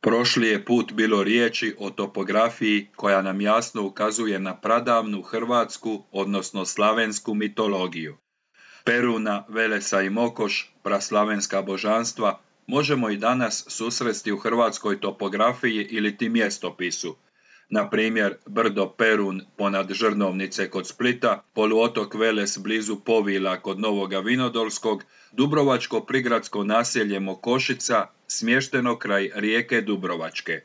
Prošli je put bilo riječi o topografiji koja nam jasno ukazuje na pradavnu hrvatsku, odnosno slavensku mitologiju. Peruna, Velesa i Mokoš, praslavenska božanstva, možemo i danas susresti u hrvatskoj topografiji ili ti mjestopisu. Na primjer, brdo Perun ponad Žrnovnice kod Splita, poluotok Veles blizu Povila kod Novoga Vinodolskog, dubrovačko prigradsko naselje Mokošica, smješteno kraj rijeke Dubrovačke.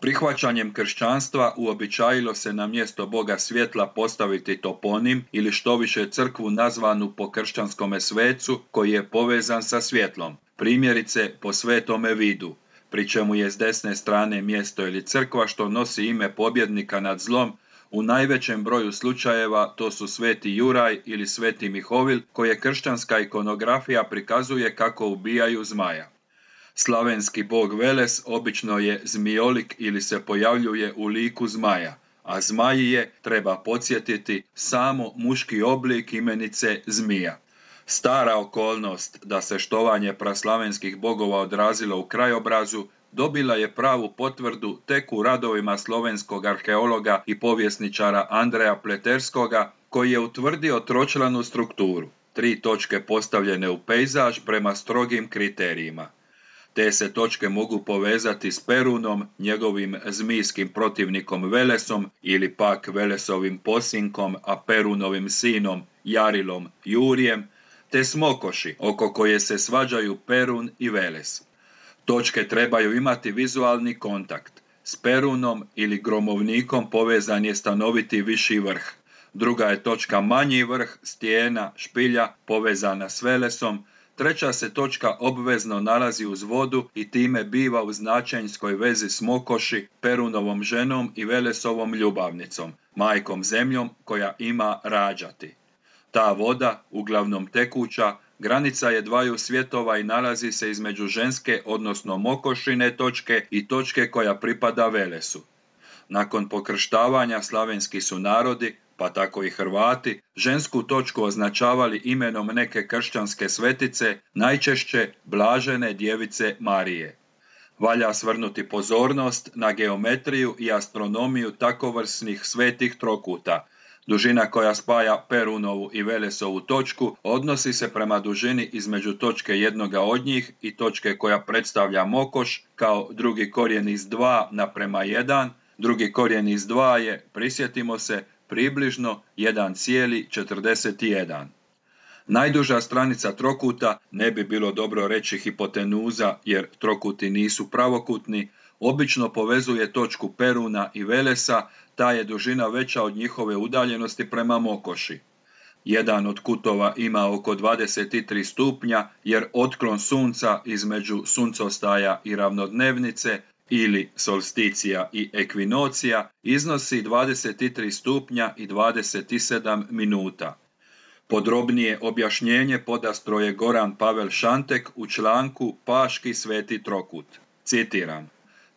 Prihvaćanjem kršćanstva uobičajilo se na mjesto Boga svjetla postaviti toponim ili štoviše crkvu nazvanu po kršćanskome svecu koji je povezan sa svjetlom, primjerice po Svetome Vidu, pri čemu je s desne strane mjesto ili crkva što nosi ime pobjednika nad zlom. U najvećem broju slučajeva to su Sveti Juraj ili Sveti Mihovil, koje kršćanska ikonografija prikazuje kako ubijaju zmaja. Slavenski bog Veles obično je zmijolik ili se pojavljuje u liku zmaja, a zmaji je, treba podsjetiti, samo muški oblik imenice zmija. Stara okolnost da se štovanje praslavenskih bogova odrazilo u krajobrazu dobila je pravu potvrdu tek u radovima slovenskog arheologa i povjesničara Andreja Pleterskoga, koji je utvrdio tročlanu strukturu, 3 točke postavljene u pejzaž prema strogim kriterijima. Te se točke mogu povezati s Perunom, njegovim zmijskim protivnikom Velesom ili pak Velesovim posinkom, a Perunovim sinom Jarilom Jurijem, te s Mokoši, oko koje se svađaju Perun i Veles. Točke trebaju imati vizualni kontakt. S Perunom ili gromovnikom povezan je stanoviti viši vrh. Druga je točka manji vrh, stijena, špilja, povezana s Velesom. Treća se točka obvezno nalazi uz vodu i time biva u značenjskoj vezi s Mokoši, Perunovom ženom i Velesovom ljubavnicom, majkom zemljom koja ima rađati. Ta voda, uglavnom tekuća, granica je dvaju svjetova i nalazi se između ženske, odnosno Mokošine točke i točke koja pripada Velesu. Nakon pokrštavanja slavenski su narodi, pa tako i Hrvati, žensku točku označavali imenom neke kršćanske svetice, najčešće Blažene djevice Marije. Valja svrnuti pozornost na geometriju i astronomiju takovrsnih svetih trokuta. Dužina koja spaja Perunovu i Velesovu točku odnosi se prema dužini između točke jednoga od njih i točke koja predstavlja Mokoš kao drugi korijen iz 2 naprema 1. Drugi korijen iz 2 je, prisjetimo se, približno 1,41. Najduža stranica trokuta, ne bi bilo dobro reći hipotenuza jer trokuti nisu pravokutni, obično povezuje točku Peruna i Velesa, ta je dužina veća od njihove udaljenosti prema Mokoši. Jedan od kutova ima oko 23 stupnja jer otklon sunca između suncostaja i ravnodnevnice ili solsticija i ekvinocija iznosi 23 stupnja i 27 minuta. Podrobnije objašnjenje podastro je Goran Pavel Šantek u članku Paški sveti trokut. Citiram: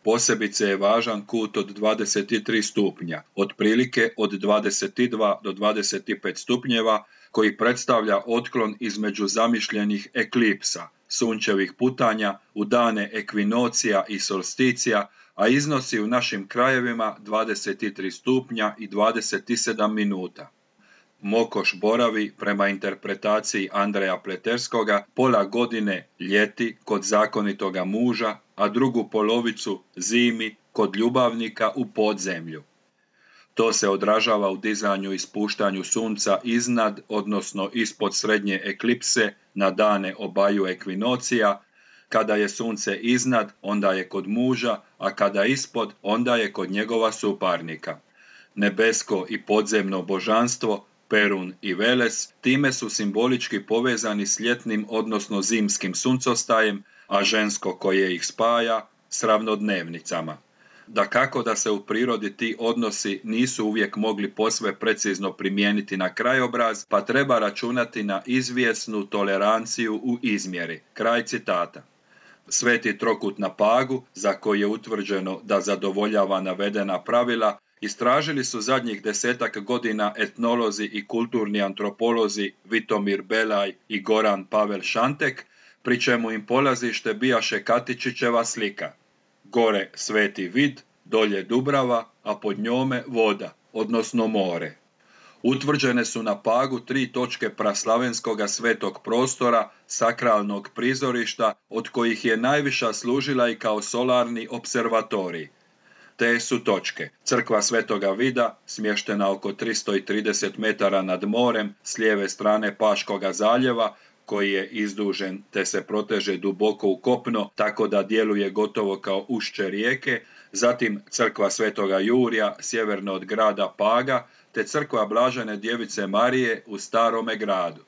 posebice je važan kut od 23 stupnja, otprilike od 22 do 25 stupnjeva, koji predstavlja otklon između zamišljenih eklipsa, sunčevih putanja u dane ekvinocija i solsticija, a iznosi u našim krajevima 23 stupnja i 27 minuta. Mokoš boravi, prema interpretaciji Andreja Pleterskoga, pola godine ljeti kod zakonitoga muža, a drugu polovicu zimi kod ljubavnika u podzemlju. To se odražava u dizanju i spuštanju sunca iznad, odnosno ispod srednje eklipse na dane obaju ekvinocija. Kada je sunce iznad, onda je kod muža, a kada ispod, onda je kod njegova suparnika. Nebesko i podzemno božanstvo, Perun i Veles, time su simbolički povezani s ljetnim, odnosno zimskim suncostajem, a žensko koje ih spaja s ravnodnevnicama. Dakako da se u prirodi ti odnosi nisu uvijek mogli posve precizno primijeniti na krajobraz, pa treba računati na izvjesnu toleranciju u izmjeri. Kraj citata. Sveti trokut na Pagu, za koji je utvrđeno da zadovoljava navedena pravila, istražili su zadnjih 10 godina etnolozi i kulturni antropolozi Vitomir Belaj i Goran Pavel Šantek, pri čemu im polazište bijaše Katičićeva slika. gore Sveti Vid, dolje Dubrava, a pod njome voda, odnosno more. Utvrđene su na Pagu 3 točke praslavenskoga svetog prostora, sakralnog prizorišta, od kojih je najviša služila i kao solarni observatorij. Te su točke: crkva Svetoga Vida, smještena oko 330 metara nad morem s lijeve strane Paškoga zaljeva, koji je izdužen te se proteže duboko u kopno, tako da djeluje gotovo kao ušće rijeke, zatim crkva Svetoga Jurija, sjeverno od grada Paga, te crkva Blažene Djevice Marije u Starome gradu.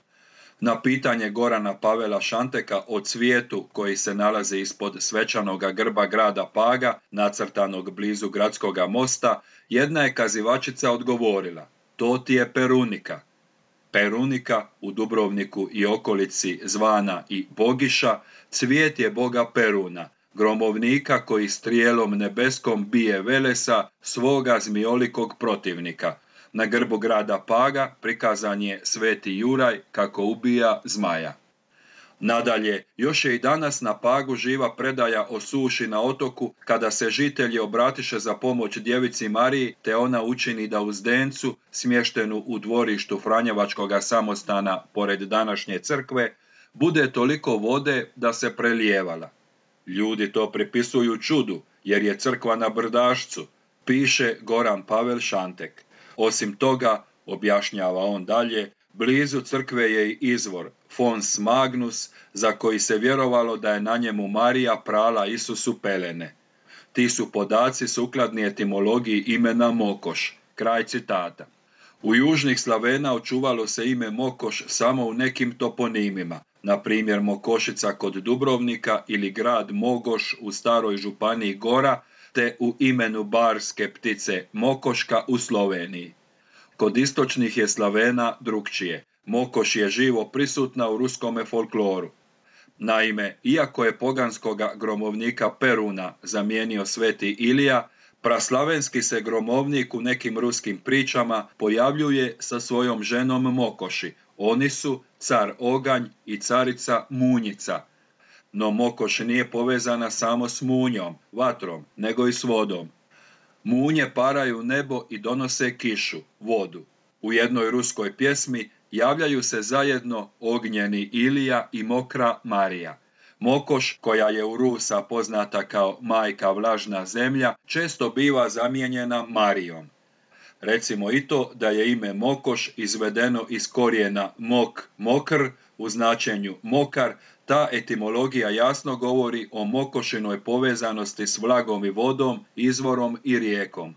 Na pitanje Gorana Pavela Šanteka o cvijetu koji se nalazi ispod svečanoga grba grada Paga, nacrtanog blizu gradskoga mosta, jedna je kazivačica odgovorila: to ti je perunika. Perunika, u Dubrovniku i okolici zvana i Bogiša, cvijet je boga Peruna, gromovnika koji strijelom nebeskom bije Velesa, svoga zmijolikog protivnika. Na grbu grada Paga prikazan je Sveti Juraj kako ubija zmaja. Nadalje, još je i danas na Pagu živa predaja o suši na otoku, kada se žitelji obratiše za pomoć djevici Mariji, te ona učini da u zdencu, smještenu u dvorištu Franjevačkoga samostana pored današnje crkve, bude toliko vode da se prelijevala. Ljudi to pripisuju čudu, jer je crkva na brdašcu, piše Goran Pavel Šantek. Osim toga, objašnjava on dalje, blizu crkve je i izvor Fons Magnus, za koji se vjerovalo da je na njemu Marija prala Isusu pelene. Ti su podaci sukladni etimologiji imena Mokoš. Kraj citata. U južnih Slavena očuvalo se ime Mokoš samo u nekim toponimima, na primjer Mokošica kod Dubrovnika ili grad Mogoš u staroj županiji Gora, te u imenu barske ptice Mokoška u Sloveniji. Kod istočnih je Slavena drukčije. Mokoš je živo prisutna u ruskome folkloru. Naime, iako je poganskoga gromovnika Peruna zamijenio Sveti Ilija, praslavenski se gromovnik u nekim ruskim pričama pojavljuje sa svojom ženom Mokoši. Oni su car Oganj i carica Munjica. No Mokoš nije povezana samo s munjom, vatrom, nego i s vodom. Munje paraju nebo i donose kišu, vodu. U jednoj ruskoj pjesmi javljaju se zajedno ognjeni Ilija i mokra Marija. Mokoš, koja je u Rusa poznata kao majka vlažna zemlja, često biva zamijenjena Marijom. Recimo i to da je ime Mokoš izvedeno iz korijena mok, mokr, u značenju mokar, ta etimologija jasno govori o Mokošinoj povezanosti s vlagom i vodom, izvorom i rijekom.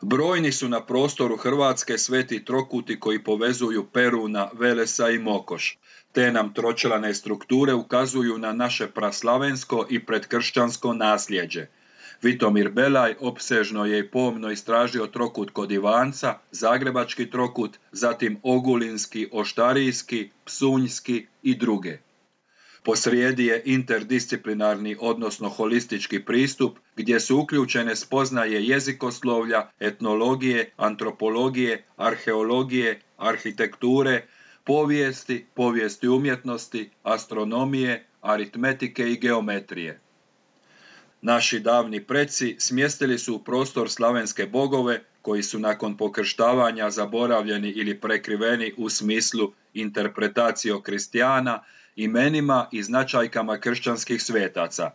Brojni su na prostoru Hrvatske sveti trokuti koji povezuju Peruna, Velesa i Mokoš. Te nam tročlane strukture ukazuju na naše praslavensko i predkršćansko nasljeđe. Vitomir Belaj opsežno je i pomno istražio trokut kod Ivanca, zagrebački trokut, zatim ogulinski, oštarijski, psunjski i druge. Posrijedi je interdisciplinarni, odnosno holistički pristup, gdje su uključene spoznaje jezikoslovlja, etnologije, antropologije, arheologije, arhitekture, povijesti umjetnosti, astronomije, aritmetike i geometrije. Naši davni preci smjestili su u prostor slavenske bogove, koji su nakon pokrštavanja zaboravljeni ili prekriveni u smislu interpretacio kristijana, imenima i značajkama kršćanskih svetaca.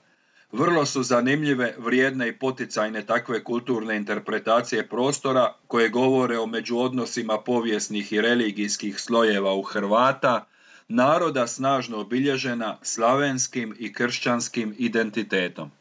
Vrlo su zanimljive, vrijedne i poticajne takve kulturne interpretacije prostora koje govore o međuodnosima povijesnih i religijskih slojeva u Hrvata, naroda snažno obilježena slavenskim i kršćanskim identitetom.